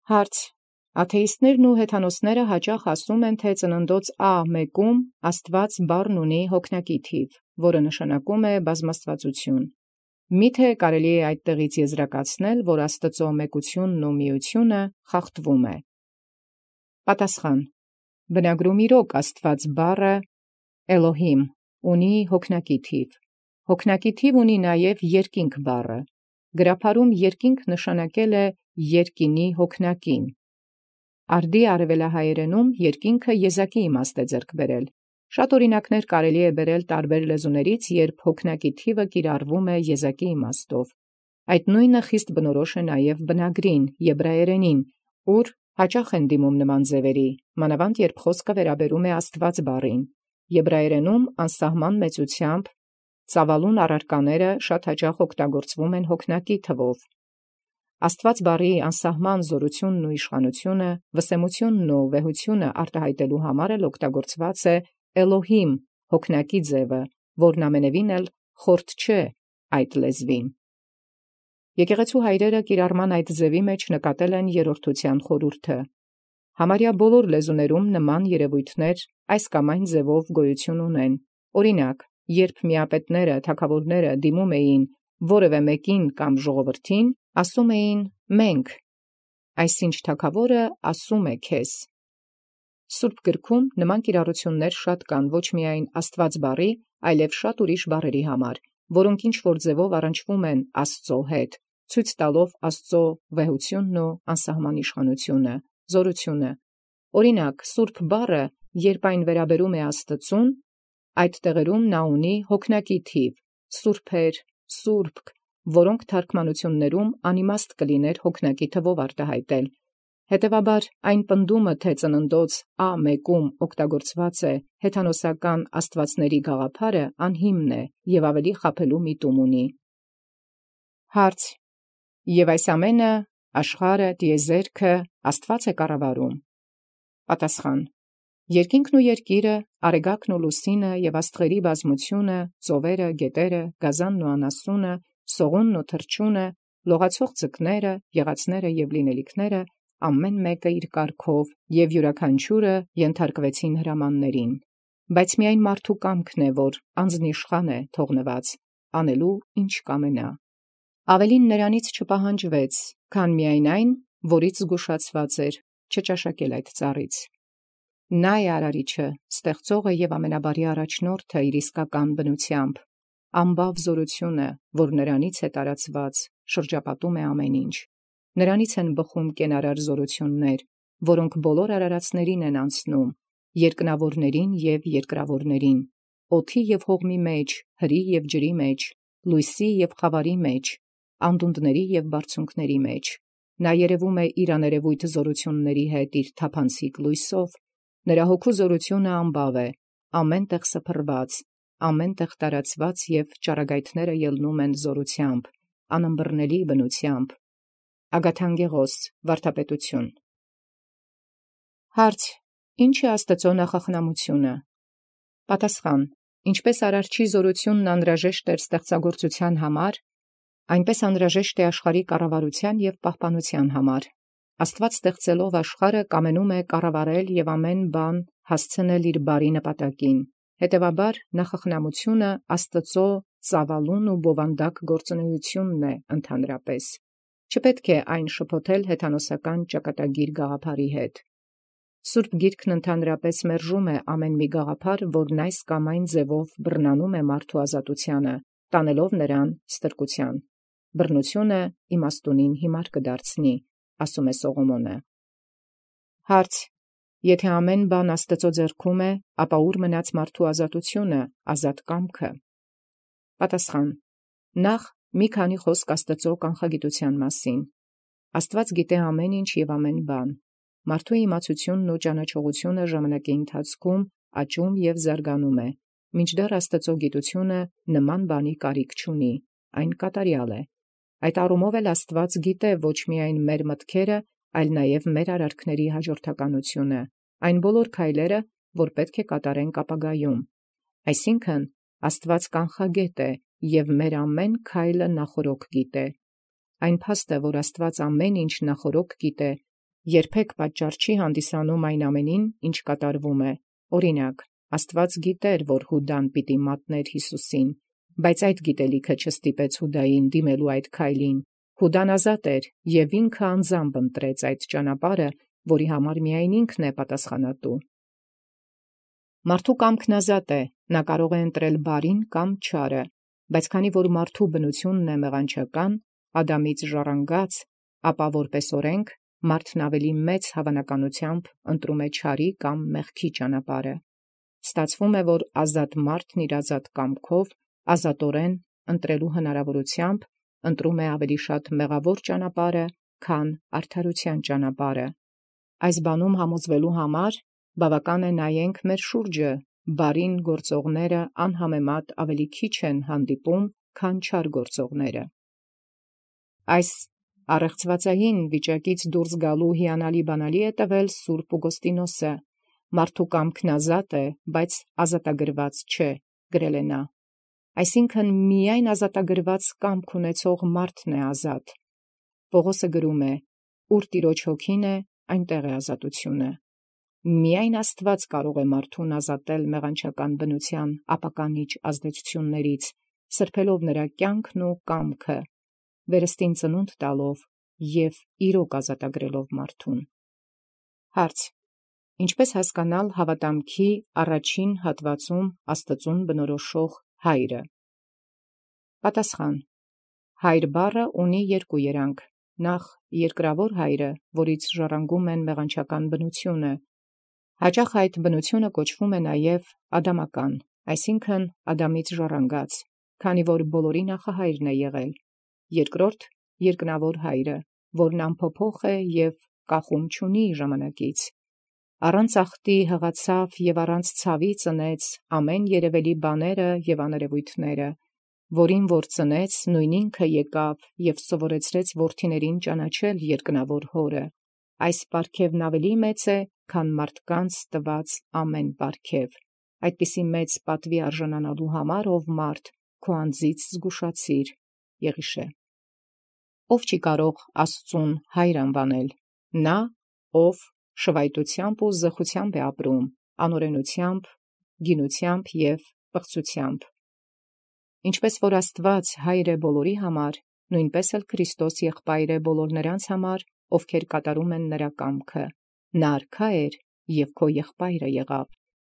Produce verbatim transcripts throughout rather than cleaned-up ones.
Հարց. Աթեիստներն ու հեթանոսները հաճախ ասում են, թե ծննդոց Ա մեկում Աստված բառն ունի հոգնակի թիվ, որը նշանակում է բազմաստվածություն։ Միթե կարելի է այդտեղից եզրակացնել, որ Աստծո մեկությունն ու միությունը խախտվում է։ Պատասխան. Բնագրում իրոք Աստված բառը Էլոհիմ ունի հոգնակի թիվ։ Հոգնակի թիվ ունի նաև երկինք բառը։ Գրաբարում երկինք նշանակել է երկինի հոգնակին։ Արդի արևելահայերենում երկինքը եզակի իմաստ է ձեռք բերել։ Շատ օրինակներ կարելի է բերել տարբեր լեզուներից, երբ հոգնակի թիվը կիրառվում է եզակի իմաստով։ Այդ նույնը խիստ բնորոշ է նաև բնագրին, եբրայերենին, ուր հաճախ են դիմում նման ձևերի, մանավանդ երբ խոսքը վերաբերում է Աստված բառին։ Եբրայերենում անսահման մեծությամբ ծավալուն առարկաները շատ հաճախ օգտագործվում են հոգնակի թվով։ Աստված բառի անսահման զորությունն ու իշխանությունը, վսեմությունն ու վեհությունը արտահայտելու համար էլ օգտագործված է Էլոհիմ հոգնակի ձևը, որն ամենևին էլ խորտ չէ այդ լեզվին։ Եկեղեցու հայրերը կիրառման այդ ձևի մեջ նկատել են երրորդության խորհուրդը։ Համարյա բոլոր լեզուներում նման երևույթներ այս կամ այն ձևով գոյություն ունեն։ Օրինակ, երբ միապետները, թագավորները դիմում էին որևէ մեկին կամ ժողովրդին, ասում էին մենք, այսինչ թագավորը ասում է քեզ։ Սուրբ գրքում նման կիրառություններ շատ կան ոչ միայն Աստված բառի, այլև շատ ուրիշ բառերի համար, որոնք ինչ-որ ձևով առնչվում են Աստծո հետ, ցույց տալով Աստծո վեհությունն ու անսահման իշխանությունը, զորությունը։ Օրինակ, Սուրբ բառը, երբ այն վերաբերում է Աստծուն, այդ տեղերում նա ունի հոգնակի թիվ, սուրբեր, սուրբ, որոնք թարգմանություններում անիմաստ կլիներ հոգնակի թվով արտահայտել։ Հետևաբար այն պնդումը, թե ծննդոց Ա մեկում օգտագործված է հեթանոսական աստվածների գաղափարը, անհիմն է և ավելի խաբելու միտում ունի։ Հարց. Եվ այս ամենը աշխարհը, տիեզերքը Աստված է կառավարում։ Պատասխան. Երկինքն ու երկիրը, արեգակն ու լուսինը և աստղերի բազմությունը, ծովերը, գետերը, գազանն ու անասունը, սողունն ու թռչունը, լողացող ձկները, եղածները և լինելիքները, ամեն մեկը իր կարգով և յուրաքանչյուրը ենթարկվեցին հրամաններին։ Բայց միայն մարդու կամքն է, որ անձնիշխան է թողնված, անելու ինչ կամենա։ Ավելին նրանից չպահանջվեց, քան միայն այն, որից զգուշացված էր, չճաշակել այդ ծառից։ Նա է արարիչը, ստեղծողը և ամենաբարի առաջնորդը իր իսկական բնությամբ, ամբավ զորությունը, որ նրանից է տարածված, շրջապատում է ամեն ինչ։ Նրանից են բխում կենարար զորություններ, որոնք բոլոր արարածներին են անցնում, երկնավորներին և երկրավորներին, օդի և հողմի մեջ, հրի և ջրի մեջ, լույսի և խավարի մեջ, անդունդների և բարձունքների մեջ։ Նա երևում է իր աներևույթ զորությունների հետ իր թափանցիկ լույսով, նրա հոգու զորությունը ամբավ է, ամեն տեղ սփռված, ամեն տեղ տարածված և ճառագայթները ելնում են զորությամբ, անըմբռնելի բնությամբ։ Ագաթանգեղոս, վարդապետություն։ Հարց. Ինչ է Աստծո նախախնամությունը։ Պատասխան. Ինչպես արարչի զորությունն անհրաժեշտ էր ստեղծագործության համար, այնպես անհրաժեշտ է աշխարհի կառավարության և պահպանության համար։ Աստված ստեղծելով աշխարհը կամենում է կառավարել և ամեն բան հասցնել իր բարի նպատակին։ Հետևաբար նախախնամությունը Աստծո ծավալուն ու բովանդակ գործունեությունն է ընդհանրապես։ Չպետք է այն շփոթել հեթանոսական ճակատագիր գաղափարի հետ։ Սուրբ Գիրքն ընդհանրապես մերժում է ամեն մի գաղափար, որն այս կամ այն ձևով բռնանում է մարդու ազատությանը, տանելով նրան ստրկության։ Բռնությունը իմաստունին հիմար կդարձնի, ասում է Սողոմոնը։ Հարց. Եթե ամեն բան Աստծո ձեռքում է, ապա ուր մնաց մարդու ազատությունը, ազատ կամքը։ Պատասխան. Նախ մի քանի խոսք Աստծո կանխագիտության մասին։ Աստված գիտե ամեն ինչ և ամեն բան։ Մարդու իմացությունն ու ճանաչողությունը ժամանակի ընթացքում աճում և զարգանում է, մինչդեռ Աստծո գիտությունը նման բանի կարիք չունի, այն կատարյալ է։ Այդ առումով էլ Աստված գիտե ոչ միայն մեր մտքերը, այլ նաև մեր արարքների հաջորդականությունը, այն բոլոր քայլերը, որ պետք է կատարենք ապագայում։ Այսինքն, Աստված կանխագետ է և մեր ամեն քայլը նախորոք գիտե։ Այն փաստ է, որ Աստված ամեն ինչ նախորոք գիտե, երբեք պատճառ չի հանդիսանում այն ամենին, ինչ կատարվում է։ Օրինակ, Աստված գիտեր, որ Յուդան պիտի մատներ Յիսուսին, բայց այդ գիտելիքը չստիպեց Յուդային դիմելու այդ քայլին։ Յուդան ազատ էր և ինքը անձամբ ընտրեց այդ ճանապարհը, որի համար միայն ինքն է պատասխանատու։ Մարդու կամքն ազատ է, նա կարող է ընտրել բարին կամ չարը, բայց քանի որ մարդու բնությունն է մեղանչական, Ադամից ժառանգած, ապա որպես օրենք մարդն ավելի մեծ հավանականությամբ ընտրում է չարի կամ մեղքի ճանապարհը։ Ստացվում է, որ ազատ մարդն իր ազատ կամքով, ազատորեն ընտրելու հնարավորությամբ ընտրում է ավելի շատ մեղավոր ճանապարհը, քան արդարության ճանապարհը։ Այս բանում համոզվելու համար բավական է նայենք մեր շուրջը, բարին գործողները անհամեմատ ավելի քիչ են հանդիպում, քան չար գործողները։ Այս առեղծվածային վիճակից դուրս գալու հիանալի բանալի է տվել Սուրբ Ուգոստինոսը. «Մարդու կամքն ազատ է, բայց ազատագրված չէ», գրել է նա։ Այսինքն միայն ազատագրված կամք ունեցող մարդն է ազատ։ Պողոսը գրում է. «Ուր Տիրոջ հոգին է, այնտեղ է ազատությունը»։ Միայն Աստված կարող է մարդուն ազատել մեղանչական բնության ապականիչ ազդեցություններից, սրբելով նրա կյանքն ու կամքը, վերստին ծնունդ տալով և իրոք ազատագրելով մարդուն։ Հարց. Ինչպե՞ս հասկանալ հավատամքի առաջին հատվածում Աստծուն բնորոշող հայրը։ Պատասխան. Հայր բառը ունի երկու երանգ. նախ երկրավոր հայրը, որից ժառանգում են մեղանչական բնությունը, հաճախ այդ բնությունը կոչվում է նաև ադամական, այսինքն Ադամից ժառանգած, քանի որ բոլորի նախահայրն է եղել. երկրորդ երկնավոր հայրը, որն անփոփոխ է և կախում չունի ժամանակից, առանց ախտի հղացավ և առանց ցավի ծնեց ամեն երևելի բաները և աներևույթները, որին որ ծնեց, նույն ինքը եկավ և սովորեցրեց որդիներին ճանաչել երկնավոր հորը։ Այս պարգևն ավելի մեծ է, քան մարդկանց տված ամեն պարգև։ Այդպիսի մեծ պատվի արժանանալու համար, ով մարդ, քո անձից զգուշացիր։ Եղիշե։ Ով չի կարող Աստծուն հայր անվանել։ Նա, ով շվայտությամբ ու զխությամբ է ապրում, անօրենությամբ, գինությամբ և պղծությամբ։ Ինչպես որ Աստված հայր է բոլորի համար, նույնպես էլ Քրիստոս եղբայր է բոլոր նրանց համար, ովքեր կատարում են նրա կամքը։ Նա արքա էր և քո եղբայրը եղավ։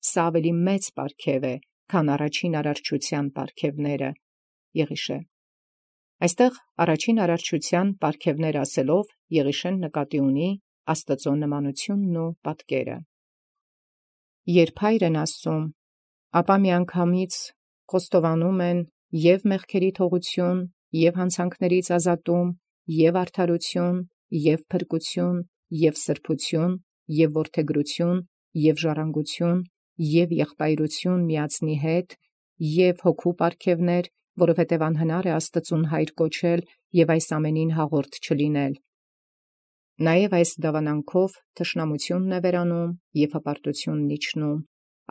Սա ավելի մեծ պարգև է, քան առաջին արարչության պարգևները։ Եղիշե։ Այստեղ առաջին արարչության պարգևներ ասելով Եղիշեն նկատի ունի Աստծո նմանությունն ու պատկերը։ Երբ հայր են ասում, ապա միանգամից խոստովանում են և մեղքերի թողություն, և հանցանքներից ազատում, և արդարություն, և փրկություն, և սրբություն, և որդեգրություն, և ժառանգություն, և եղբայրություն միածնի հետ, և հոգու պարգևներ, որովհետև անհնար է Աստծուն հայր կոչել և այս ամենին հաղորդ չլինել։ Նաև այս դավանանքով թշնամությունն է վերանում և հպարտությունն իջնում,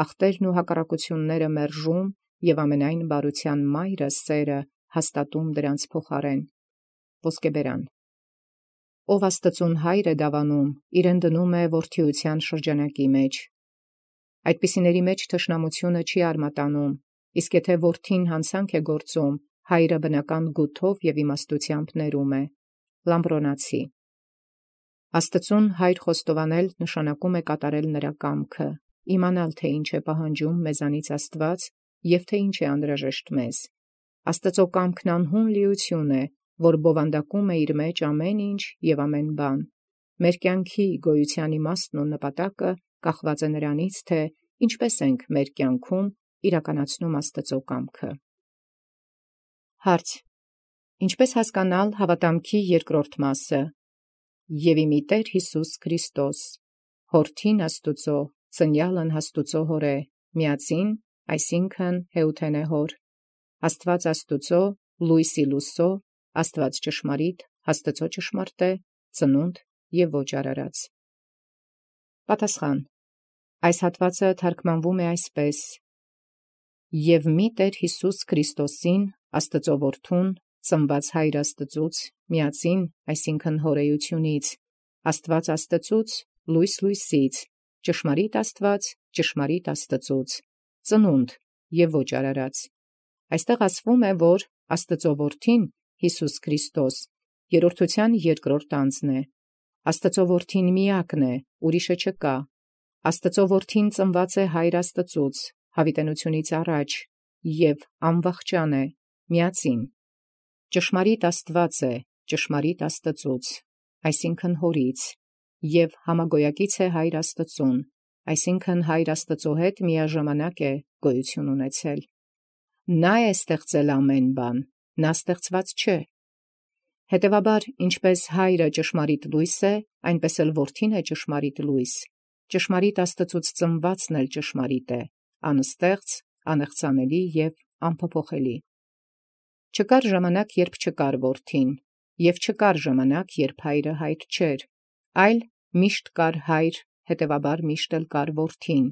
ախտերն ու հակառակությունները մերժում և ամենայն բարության մայրը սերը հաստատում դրանց փոխարեն։ Ոսկեբերան։ Ով Աստծուն հայր է դավանում, իրեն դնում է որդիության շրջանակի մեջ։ Այդպիսիների մեջ թշնամությունը չի արմատանում, իսկ եթե որդին հանցանք է գործում, հայրը բնական գութով և իմաստությամբ ներում է։ Լամբրոնացի։ Աստծուն հայր խոստովանել նշանակում է կատարել նրա կամքը, իմանալ, թե ինչ է պահանջում մեզանից Աստված և թե ինչ է անհրաժեշտ մեզ։ Աստծո կամքն անհուն լիություն է, որ բովանդակում է իր մեջ ամեն ինչ և ամեն բան։ Մեր կյանքի գոյության իմաստն ու նպատակը կախված է նրանից, թե ինչպես ենք մեր կյանքում իրականացնում Աստծո կամքը։ Հարց. Ինչպես հասկանալ հավատամքի երկրորդ մասը։ Եվ իմի Տեր Հիսուս Քրիստոս, Հորդին Աստուծո, ծնյալն Աստուծո Հոր է, միածին, այսինքն հեութենե Հոր, Աստված Աստուծո, լույսի լուսո, Աստված ճշմարիտ, Աստծո ճշմարտ է, ծնունդ և ոչ արարած։ Պատասխան. Այս հատվածը թարգմանվում է այսպես. «Եվ մի Տեր Հիսուս Քրիստոսին, Աստծո Որդուն, ծնված Հայր Աստծուց, միածին, այսինքն հորեությունից, Աստուած Աստծուց, լույս լույսից, ճշմարիտ Աստուած, ճշմարիտ Աստծուց, ծնունդ և ոչ արարած։ Այստեղ ասվում է, որ Աստծո որդին Յիսուս Քրիստոս երրորդության երկրորդ անձն է, Աստծո որդին միակն է, ուրիշը չկա, Աստծո որդին ծնված է Հայր Աստծուց, յաւիտենությունից առաջ, և անվախճան է, միածին։ Ճշմարիտ Աստուած է, ճշմարիտ Աստծուց, այսինքն Հորից, և համագոյակից է Հայր Աստծուն, այսինքն Հայր Աստծո հետ միաժամանակ է գոյություն ունեցել։ Նա է ստեղծել ամեն բան, նա ստեղծված չէ։ Հետևաբար, ինչպես Հայրը ճշմարիտ լույս է, այնպես էլ Որդին է ճշմարիտ լույս, ճշմարիտ Աստծուց ծնվածն էլ ճշմարիտ է, անստեղծ, անեղծանելի և անփոփոխելի։ Չկար ժամանակ, երբ չկար Որդին, և չկար ժամանակ, երբ Հայրը Հայր չէր, այլ միշտ կար Հայր, հետևաբար միշտ էլ կար Որդին։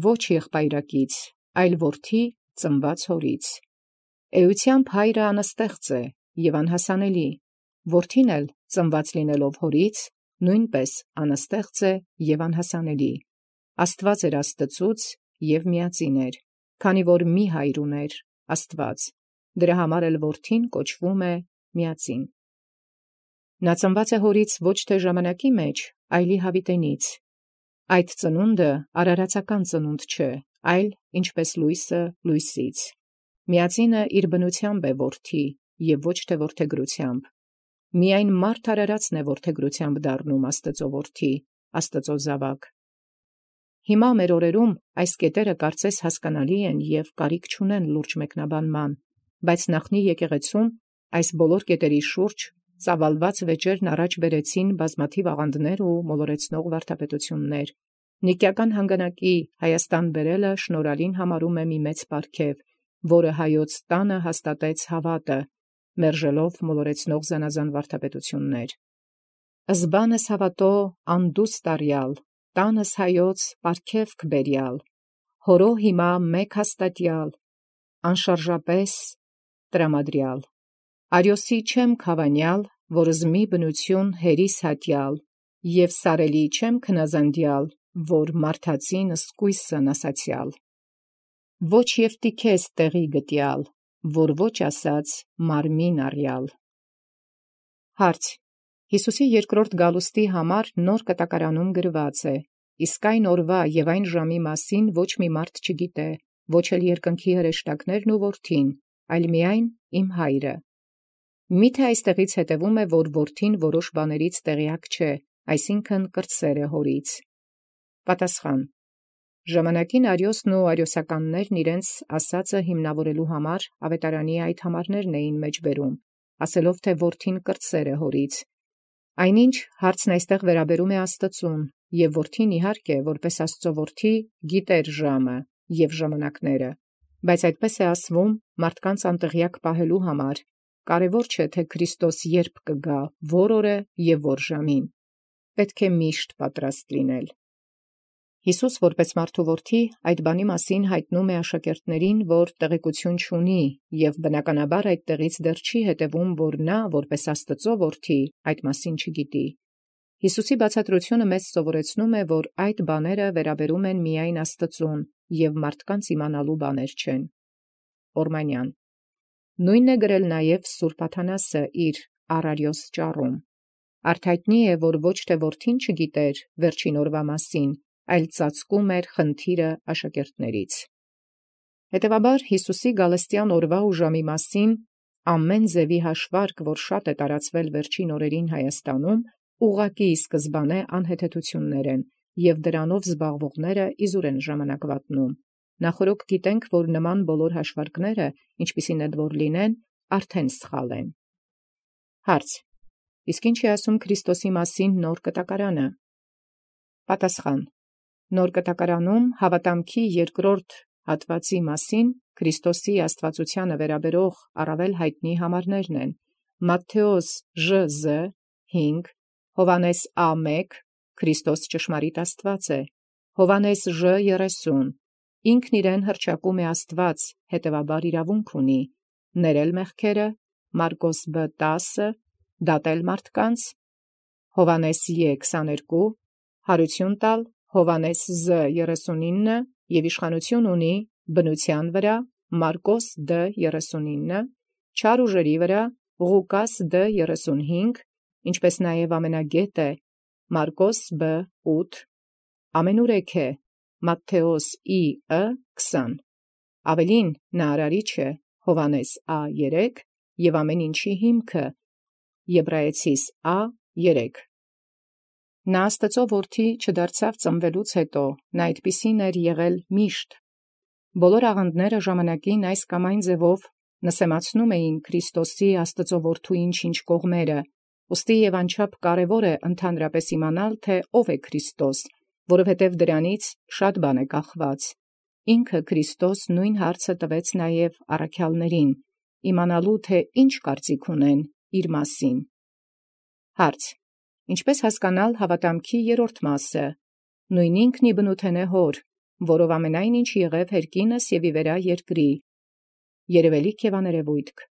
Ոչ եղբայրակից, այլ Որդի ծնված Հորից։ Էությամբ Հայրը անստեղծ է և անհասանելի, Որդին էլ ծնված լինելով Հորից, նույնպես անստեղծ է և անհասանելի։ Աստուած էր Աստծուց և միածին էր, քանի որ մի Հայր ուներ, Աստուած, դրա համար էլ Որդին կոչվում է միածին։ Նա ծնված է Հորից ոչ թե ժամանակի մեջ, այլ յաւիտենից։ Այդ ծնունդը արարածական ծնունդ չէ, այլ ինչպես լույսը լույսից։ Միածինը իր բնութեամբ է որդի և ոչ թե որդեգրութեամբ։ Միայն մարդ արարածն է որդեգրութեամբ դառնում Աստծո որդի, Աստծո զաւակ։ Հիմա մեր օրերում այս կետերը կարծես հասկանալի են և կարիք չունեն լուրջ մեկնաբանման, բայց նախնի եկեղեցում այս բոլոր կետերի շուրջ ծավալված վեճերն առաջ բերեցին բազմաթիվ աղանդներ ու մոլորեցնող վարդապետություններ։ Նիկիական հանգանակի Հայաստան բերելը շնորհալին համարում է մի մեծ պարգև, որը Հայոց տանը հաստատեց հավատը, մերժելով մոլորեցնող զանազան վարդապետություններ։ Զբանս հավատո անդուստ արյալ, տանս Հայոց պարգևք բերյալ, հորո հիմա մեկ հաստատյալ, անշարժապես տրամադրյալ։ Արիոսի չեմ քավանյալ, որ զմի բնություն հերիս հատյալ, և սարելի չեմ քնազանդյալ, որ մարդածին սկույսն ասացյալ։ Ոչ և տիքես տեղի գտյալ, որ ոչ ասաց մարմին առյալ։ Հարց. Յիսուսի երկրորդ գալուստի համար նոր կտակարանում գրված է, իսկ այն օրվա և այն ժամի մասին ոչ մի մարդ չգիտե, ոչ էլ երկնքի հրեշտակներն ու որդին, այլ միայն իմ Հայրը։ Միթե այստեղից հետևում է, որ որդին որոշ բաներից տեղյակ չէ, այսինքն կրտսեր է Հորից։ Պատասխան. Ժամանակին Արիոսն ու արիոսականներն իրենց ասածը հիմնավորելու համար ավետարանի այդ համարներն էին մեջ բերում, ասելով, թե որդին կրտսեր է Հորից։ Այնինչ հարցն այստեղ վերաբերում է Աստծուն, և որդին իհարկե, որպես Աստծո որդի, գիտեր ժամը և ժամանակները, բայց այդպես է ասվում մարդկանց անտեղյակ պահելու համար, կարևոր չէ, թե Քրիստոս երբ կգա, որ օրը և որ ժամին, պետք է միշտ պատրաստ լինել։ Յիսուս որպես մարդու որդի այդ բանի մասին հայտնում է աշակերտներին, որ տեղեկություն չունի, և բնականաբար այդ տեղից դեռ չի հետևում, որ նա որպես Աստծո որդի այդ մասին չգիտի։ Յիսուսի բացատրությունը մեզ սովորեցնում է, որ այդ բաները վերաբերում են միայն Աստծուն և մարդկանց իմանալու բաներ չեն։ Օրմանյան. Նույնն է գրել նաև Սուրբ Աթանասը իր «Առ Արիոս» ճառում։ Արթայտնի է, որ ոչ թե որդին չգիտեր վերջին օրվա մասին, այլ ծածկում էր խնդիրը աշակերտներից։ Հետևաբար Յիսուսի գալստյան օրվա ու ժամի մասին ամեն ձևի հաշվարկ, որ շատ է տարածվել վերջին օրերին Հայաստանում, ուղղակի սկզբանե անհեթեթություններ են, և դրանով զբաղվողները իզուր են ժամանակ վատնում։ Նախորոք գիտենք, որ նման բոլոր հաշվարկները, ինչպիսին էլ որ լինեն, արդեն սխալ են։ Հարց. իսկ ինչ է ասում Քրիստոսի մասին նոր կտակարանը։ Պատասխան. Նոր կտակարանում հավատամքի երկրորդ հատվածի մասին Քրիստոսի աստվածությանը վերաբերող առավել հայտնի համարներն են. Մատթեոս Ժ Զ հինգ, Հովհաննես Ա մեկ, Քրիստոս ճշմարիտ Աստված է, Հովհաննես Ժ երեսուն, ինքն իրեն հռչակում է Աստված, հետևաբար իրավունք ունի, ներել մեղքերը, Մարկոս Բ տասը, դատել մարդկանց, Հովանես Ե քսաներկու, հարություն տալ Հովանես Զ երեսունինը և իշխանություն ունի բնության վրա Մարկոս Դ երեսունինը, չար ուժերի վրա Ղուկաս Դ երեսունհինգ, ինչպես նաև ամենագետ է Մարկոս Բ ութ, ամենուրեք է Մատթեոս Ի Ը քսան, ավելին նա արարիչ է Հովանես Ա երեք և ամեն ինչի հիմքը Եբրայեցիս Ա երեք։ Նա Աստծո որդի չդարձավ ծնվելուց հետո, նա այդպիսին էր եղել միշտ։ Բոլոր աղանդները ժամանակին այս կամ այն ձևով նսեմացնում էին Քրիստոսի Աստծո որդուին ինչ կողմերը, ուստի և անչափ կարևոր է ընդհանրապես իմանալ, թե ով է Քրիստոս, որովհետև դրանից շատ բան է կախված։ Ինքը Քրիստոս նույն հարցը տվեց նաև առաքյալներին, իմանալու թե ինչ կարծիք ունեն իր մասին։ Հարց. Ինչպե՞ս հասկանալ հավատամքի երրորդ մասը։ Նույն ինքն իբնութենէ հոր, որով ամենայն ինչ եղև հերկինս և ի վերայ երկրի, երևելիք և աներևույթք,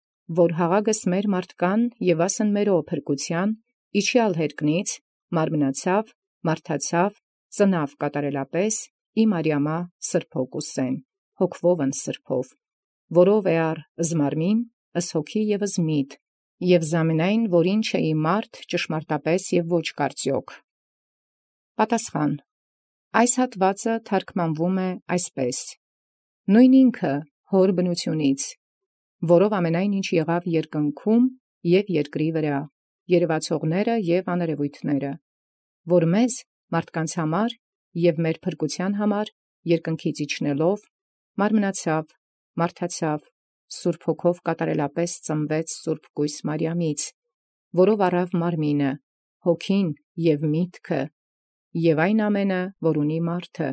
որ հաղագս մեր մարդկան և վասն մերո փրկութեան, իջեալ հերկնից, մարմնացավ, մարդացավ, ծնավ կատարելապես, ի Մարիամա սրբոյ կուսեն, հոգվովն սրբով, որով էար զմարմին, ըս հոգի և ըս միտ, և զամենայն, որին չէի մարդ ճշմարտապես և ոչ կարծիոք։ Պատասխան. այս հատվածը թարգմանվում է այսպես. նույն ինքը հոր բնությունից, որով ամենայն ինչ եղավ երկնքում և երկրի վրա, երևացողները և աներևույթները, որ մեզ մարդկանց համար և մեր փրկութեան համար երկնքից իջնելով, մարմնացավ, մարդացավ, Սուրբ Հոգով կատարելապես ծնվեց սուրբ կույս Մարիամից, որով առավ մարմինը, հոգին և միտքը, և այն ամենը, որ ունի մարդը,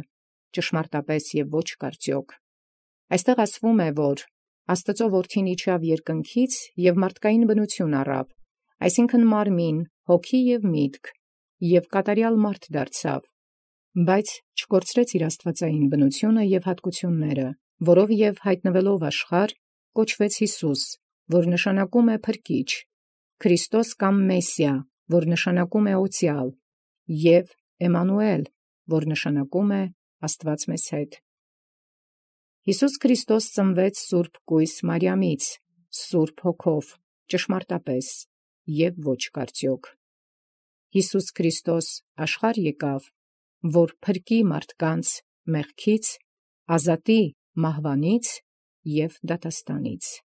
ճշմարտապես և ոչ կարծիոք։ Այստեղ ասվում է, որ Աստծո որդին իջավ երկնքից և մարդկային բնություն առավ, այսինքն մարմին, հոգի և միտք, և կատարյալ մարդ դարձավ, բայց չկորցրեց իր աստվածային բնությունը և հատկությունները, որով և հայտնվելով աշխարհ կոչվեց Յիսուս, որ նշանակում է փրկիչ, Քրիստոս կամ Մեսիա, որ նշանակում է օծյալ, և Էմմանուել, որ նշանակում է Աստված մեզ հետ։ Յիսուս Քրիստոս ծնվեց սուրբ կույս Մարիամից, Սուրբ Հոգով, ճշմարտապես և ոչ կարծիոք։ Յիսուս Քրիստոս աշխարհ եկավ, որ փրկի մարդկանց մեղքից, ազատի մահվանից և դատաստանից։